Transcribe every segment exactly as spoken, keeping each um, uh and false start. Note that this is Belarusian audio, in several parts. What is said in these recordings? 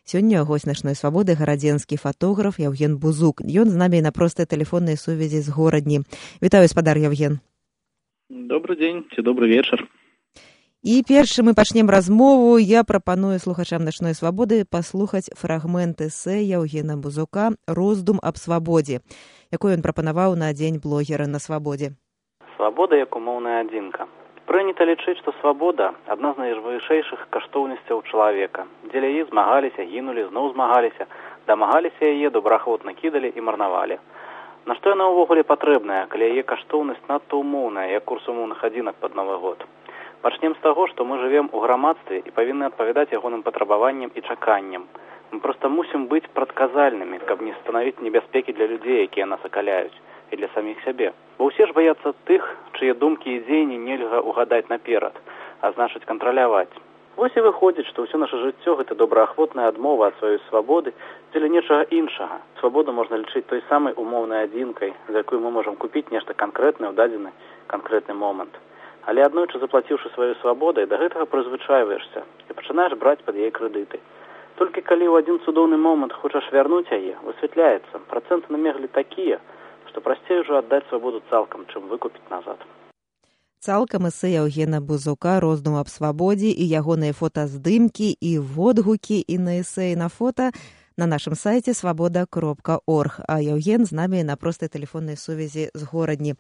Сёння госць нашай свабоды гарадзенскі фатограф Яўген Бузук. Ён з намі на простай тэлефоннай сувязі з горадні. Вітаю, спадар Яўген. Добры дзень ці добры вечар. І перш мы пачнем размову, я прапаную слухачам нашай свабоды паслухаць фрагмент эсэ Яўгена Бузука «Роздум аб свабодзе», якой ён прапанаваў на дзень блогера на свабодзе. Свабода як умоўная адзінка. Прынята лічыць, што свабода – адна з найвышэйшых каштоўнасцяў чалавека. Дзеля яе змагаліся, гінулі, зноў змагаліся, дамагаліся яе, добраахвотна кідалі і марнавалі. На што яна ўвогуле патрэбная, калі яе каштоўнасць надта умоўная, як курс умоўных адзінак пад Новы год? Пачнем з таго, што мы жывем у грамадстве і павінны адпавядаць ягоным патрабаванням і чаканням. Мы проста мусім быць прадказальнымі, каб не станавіць небяспекі для людзей, якія нас акаляюць, і для саміх сябе. Бо ўсе ж баяцца тых, чые думкі і дзеянні нельга угадаць наперад, а значыць кантраляваць. Вось і выходзіць, што ўсё наша жыццё – гэта добраахвотная адмова ад сваёй свабоды дзеля нечага іншага. Свабоду можна лічыць той самай умоўнай адзінкай, за якую мы можам купіць нешта канкрэтнае ў дадзены канкрэтны момант. Але аднойчы заплаціўшы сваёй свабодай, да гэтага прызвычайваешся і пачынаеш браць пад яе крэдыты. Толькі калі ў адзін цудоўны момант хочаш вярнуць яе, высвятляецца, працэнты на меглі такія, што прасцей ужо аддаць свабоду цалкам, чым выкупіць назад. Цалкам эсэ Яўгена Бузука «Роздум аб свабодзе» і ягоныя фотаздымкі і водгукі і на эсэ і на фота на нашым сайце свабода кропка орг. А Яўген з намі на простай тэлефоннай сувязі з горадні.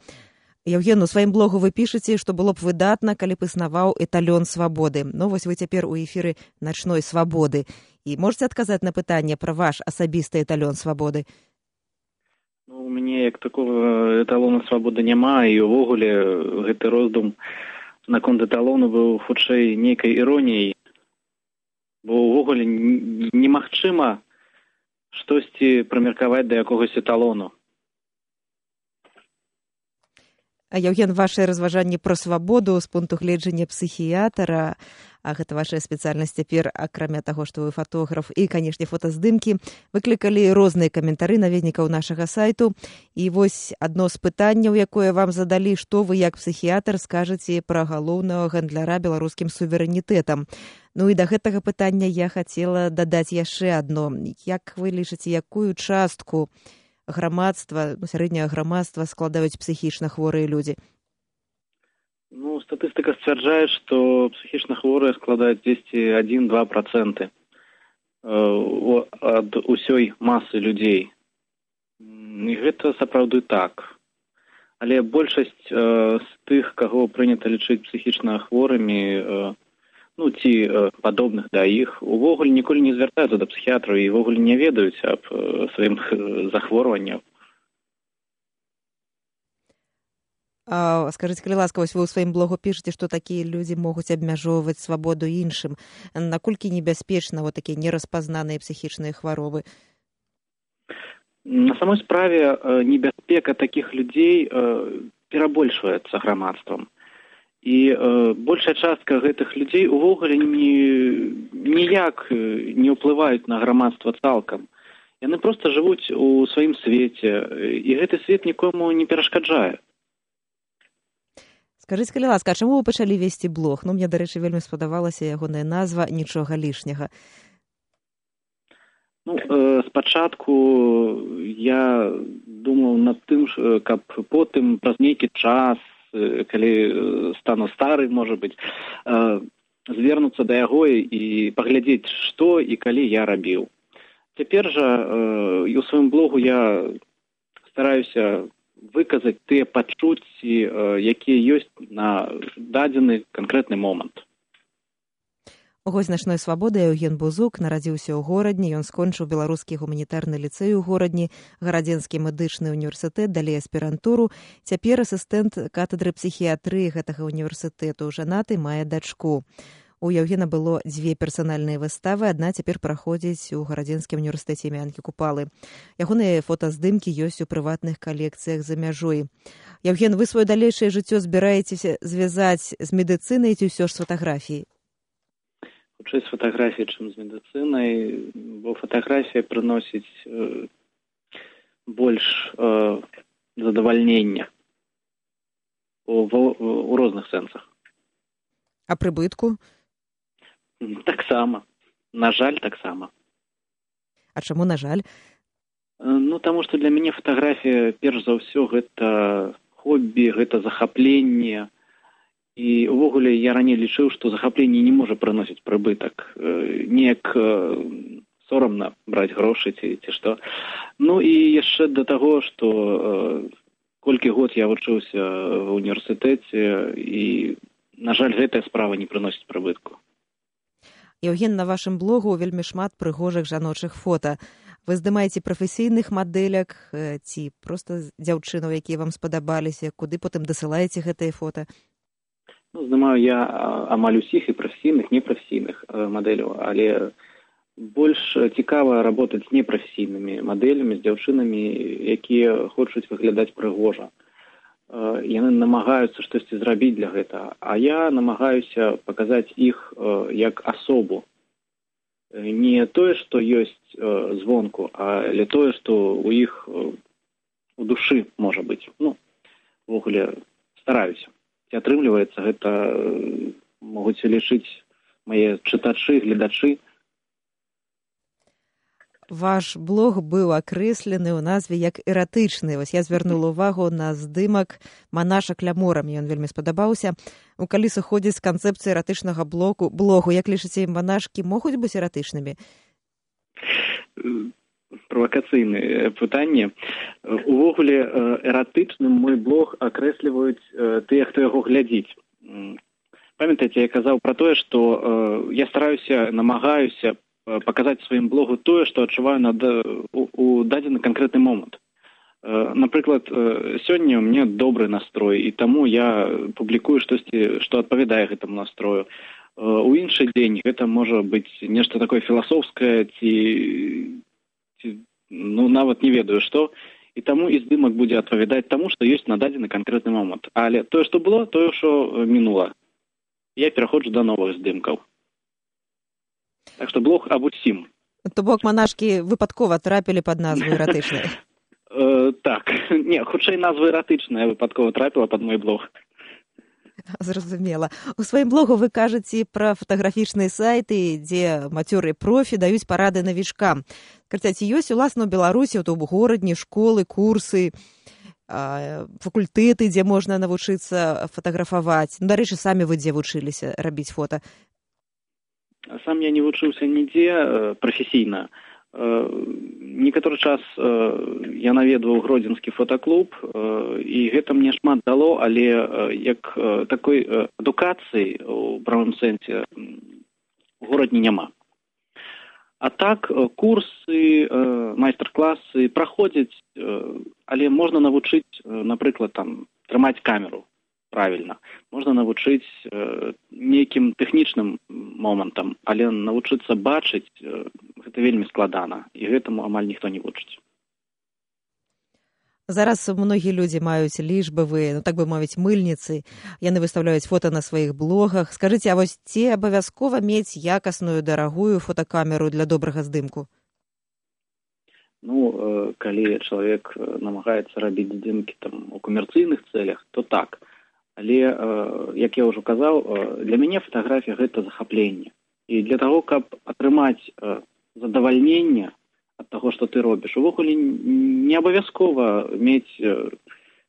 Яўген, у сваім блогу вы пішаце, што было б выдатна, калі б існаваў эталён свабоды. Ну, вось вы цяпер у эфіры начной свабоды. І можаце адказаць на пытанне пра ваш асабісты эталён свабоды? Ну, у мяне як такого эталона свабоды няма, і ўвогуле гэты роздум наконт эталону быў хутчэй нейкай іроніяй. Бо ўвогуле немагчыма штосьці прымеркаваць да якогось эталону. А, Яўген, вашыя разважанні пра свабоду з пункту гледжання псіхіятра, а гэта ваша спецыяльнасць цяпер, акрамя таго, што вы фотограф, і, канешне, фотаздымкі, выклікалі розныя каментары наведнікаў нашага сайту. І вось адно з пытанняў, якое вам задалі, што вы як псіхіятр скажаце пра галоўнага гандляра беларускім суверэнітэтам. Ну і да гэтага пытання я хацела дадаць яшчэ адно. Як вы лічыце, якую частку грамадства, ну, сярэдняга грамадства складаюць псіхічна хворыя людзі? Ну, статыстыка сцвярджае, што псіхічна хворыя складаюць дзесьці адзін-два працэнты ад усёй масы людзей. І гэта сапраўды так. Але большасць з тых, каго прынята лічыць псіхічна хворымі, ну, ці падобных да іх, увогуле ніколі не звяртаюцца да псіхіатраў і ўвогуле не ведаюць аб сваім захворваннях. А, скажыце, калі ласка, вось вы ў сваім блогу пішаце, што такія людзі могуць абмяжоўваць свабоду іншым. Наколькі небяспечна вот такія нераспазнаныя псіхічныя хваробы? На самой справе небяспека такіх людзей перабольшваецца грамадствам. І э, большая частка гэтых людзей увогуле ні, ніяк не ўплываюць на грамадства цалкам. Яны проста жывуць у сваім свеце, і гэты свет нікому не перашкаджае. Скажыце, калі ласка, а чаму вы пачалі весці блог? Ну, мне, дарэчы, вельмі спадабалася ягоная назва «Нічога лішняга». Ну, э, спачатку я думаў над тым, каб потым праз нейкі час, калі стану стары, можа быць, звернуцца да яго і паглядзець, што і калі я рабіў. Цяпер жа і ў сваім блогу я стараюся выказаць тыя пачуцці, якія ёсць на дадзены канкрэтны момант. Госць нашой свабоды Яўген Бузук нарадзіўся ў горадні, ён скончыў беларускі гуманітарны ліцэй у горадні, гарадзенскі медычны універсітэт, далей аспірантуру. Цяпер асістэнт катедры псіхіятрыі гэтага універсітэту, жанаты, мае дачку. У Яўгена было дзве персанальныя выставы, адна цяпер праходзіць у гарадзенскім універсітэце імя Анкі Купалы. Ягоныя фотаздымкі ёсць у прыватных калекцыях за мяжой. Яўген, вы сваё далейшае жыццё збіраецеся звязаць з медыцынай ці ўсё ж з фатаграфіяй? Хутчэй з фатаграфіяй, чым з медыцынай, бо фатаграфія прыносіць э, больш э, задавальнення у, у, у розных сэнсах. А прыбытку? Таксама. На жаль, таксама. А чаму, на жаль? Ну, таму што для мяне фатаграфія, перш за ўсё, гэта хобі, гэта захапленне. І ўвогуле я раней лічыў, што захапленне не можа прыносіць прыбытак. Неяк сорамна браць грошы ці, ці што. Ну і яшчэ да таго, што колькі год я вучыўся ва ўніверсітэце, і, на жаль, гэтая справа не прыносіць прыбытку. Еўген, на вашым блогу вельмі шмат прыгожых жаночых фота. Вы здымаеце прафесійных мадэляк ці проста дзяўчынаў, якія вам спадабаліся, куды потым дасылаеце гэтыя фота? Ну, здымаю я амаль усіх і прафесійных, непрафесійных мадэляў, але больш цікава работаць з непрафесійнымі мадэлямі, з дзяўчынамі, якія хочуць выглядаць прыгожа. Яны намагаюцца штосьці зрабіць для гэтага, а я намагаюся паказаць іх як асобу. Не тое, што ёсць звонку, але тое, што ў іх у душы можа быць. Ну, ўвогуле стараюся. Ці атрымліваецца, гэта могуць лічыць мае чытачы, гледачы. Ваш блог быў акрэслены ў назве як эратычны. Вось я звярнула ўвагу на здымак манаша клямора. Мне ён вельмі спадабаўся. Ну, калі сыходзіць з канцэпцыі эратычнага блогу, блогу, як лічыце, манашкі могуць быць эратычнымі? Правакацыйнае пытанне. Увогуле, эратычным мой блог акрэсліваюць тыя, хто яго глядзіць. Памятаеце, я казаў пра тое, што я стараюся, намагаюся паказаць сваім блогу тое, што адчуваю на, у, у дадзены канкрэтны момант. Напрыклад, сёння у мяне добры настрой, і таму я публікую штосьці, што адпавядае гэтаму настрою. У іншы дзень гэта можа быць нешта такое філасофскае ці, ці ну, нават не ведаю што, і таму і здымак будзе адпавядаць таму, што ёсць на дадзены канкрэтны момант. Але тое, што было, тое, што мінула. Я пераходжу да новых здымкаў. Так што блог аб усім. То бок манашкі выпадкова трапілі пад назву эратычнай? Так. Не, хутчэй назва эратычная выпадкова трапіла пад мой блог. Зразумела. У сваім блогу вы кажаце пра фатаграфічныя сайты, дзе мацёры профі даюць парады навічкам. Скажыце, ці ёсць уласна ў Беларусі, то ў горадні, школы, курсы, факультэты, дзе можна навучыцца фатаграфаваць? Ну, дарэчы, самі вы дзе вучыліся рабіць фота? Сам я не вучыўся нідзе прафесійна. Некаторы час я наведваў гродзенскі фотаклуб, і гэта мне шмат дало, але як такой адукацыі у правым сэнсе у горадні няма. А так, курсы, майстар-класы праходзяць, але можна навучыць, напрыклад, там, трымаць камеру правільна. Можна навучыць нейкім тэхнічным момантам, але навучыцца бачыць гэта вельмі складана, і гэтаму амаль ніхто не вучыць. Зараз многія людзі маюць лічбавыя, ну так бы мовіць, мыльніцы. Яны выстаўляюць фота на сваіх блогах. Скажыце, а вось ці абавязкова мець якасную, дарагую фотакамеру для добрага здымку? Ну, калі чалавек намагаецца рабіць здымкі там у камерцыйных цэлях, то так. Але, як я ўжо казаў, для мяне фатаграфія гэта захапленне. І для таго, каб атрымаць задавальненне ад таго, што ты робіш, увогуле не абавязкова мець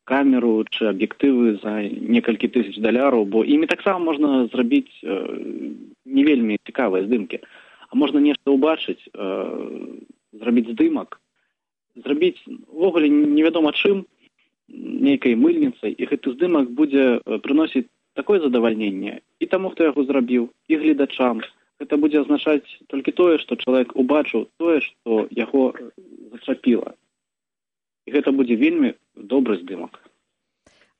камеру чи аб'ектывы за некалькі тысяч даляраў, бо імі таксама можна зрабіць не вельмі цікавыя здымкі. А можна нешта ўбачыць, зрабіць здымак, зрабіць увогуле невядома чым, нейкай мыльніцай, і гэты здымак будзе прыносіць такое задавальненне і таму, хто яго зрабіў, і гледачам. Гэта будзе азначаць толькі тое, што чалавек убачыў тое, што яго зачапіла. І гэта будзе вельмі добры здымак.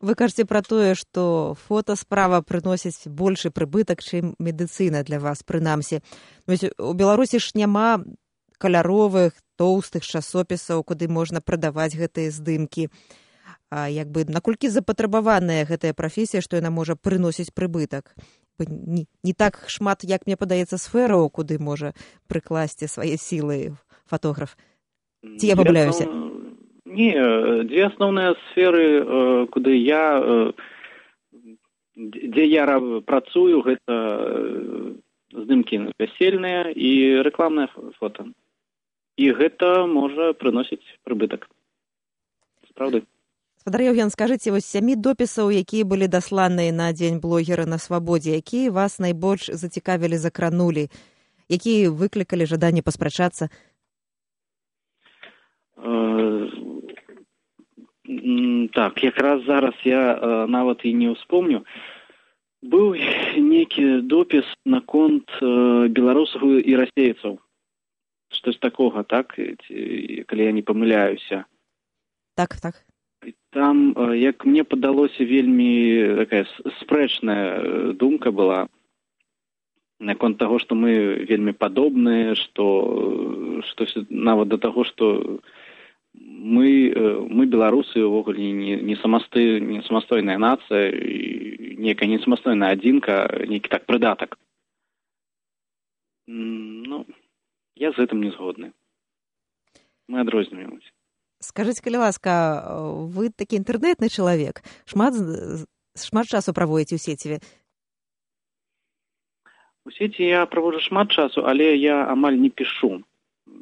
Вы кажаце пра тое, што фотасправа прыносіць большы прыбытак, чым медыцына для вас, прынамсі. У Беларусі ж няма каляровых, тоўстых часопісаў, куды можна прадаваць гэтыя здымкі. А, як бы, наколькі запатрабаваная гэтая прафесія, што яна можа прыносіць прыбытак? Не, не так шмат, як мне падаецца, сфераў, куды можа прыкласці свае сілы фотограф. Ці я памыляюся? Не, дзве асноўныя сферы, куды я, дзе я працую, гэта здымкі вясельныя і рэкламнае фота. і гэта можа прыносіць прыбытак. Справды. Спадар Яўген, скажыце, вось сямі допісаў, якія былі дасланыя на дзень блогера на свабодзе, якія вас найбольш зацікавілі, закранулі, якія выклікалі жаданне паспрачацца? Э, так, якраз зараз я э, нават і не ўспомню. Быў нейкі допіс наконт э, беларусаў і расейцаў. Штось такога, так? Калі я не памыляюся. Так, так. Там, э, як мне падалося, вельмі такая спрэчная думка была наконт таго, што мы вельмі падобныя, што, што нават да таго, што мы, мы беларусы, увогуле не, не, самастой, не самастойная нацыя, некая не самастойная адзінка, нейкі так прыдатак. Ну, я з гэтым не згодны. Мы адрозніваемся. Скажыце, калі ласка, вы такі інтэрнэтны чалавек, шмат, шмат часу праводзіце ў сеціве? У сеці я праводжу шмат часу, але я амаль не пішу.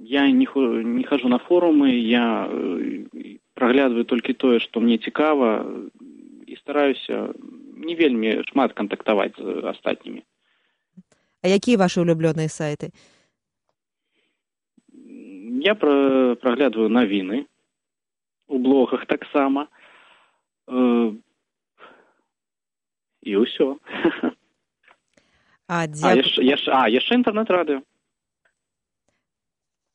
Я не, не хожу на форумы, я праглядваю толькі тое, што мне цікава, і стараюся не вельмі шмат кантактаваць з астатнімі. А якія вашы улюблёныя сайты? Я пра, праглядваю навіны, у блогах таксама, э, і ўсё. А, а, яшчэ, яшчэ, а, яшчэ інтэрнэт-радыё.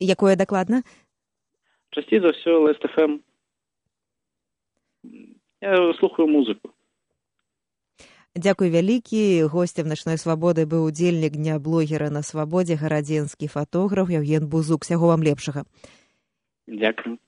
Якое дакладна? Часцей за ўсё Лэст эф эм. Я слухаю музыку. Дзякуй вялікі. Госцем начной свабоды быў удзельнік дня блогера на свабодзе, гарадзенскі фатограф Яўген Бузук. Усяго вам лепшага. Дзякуй.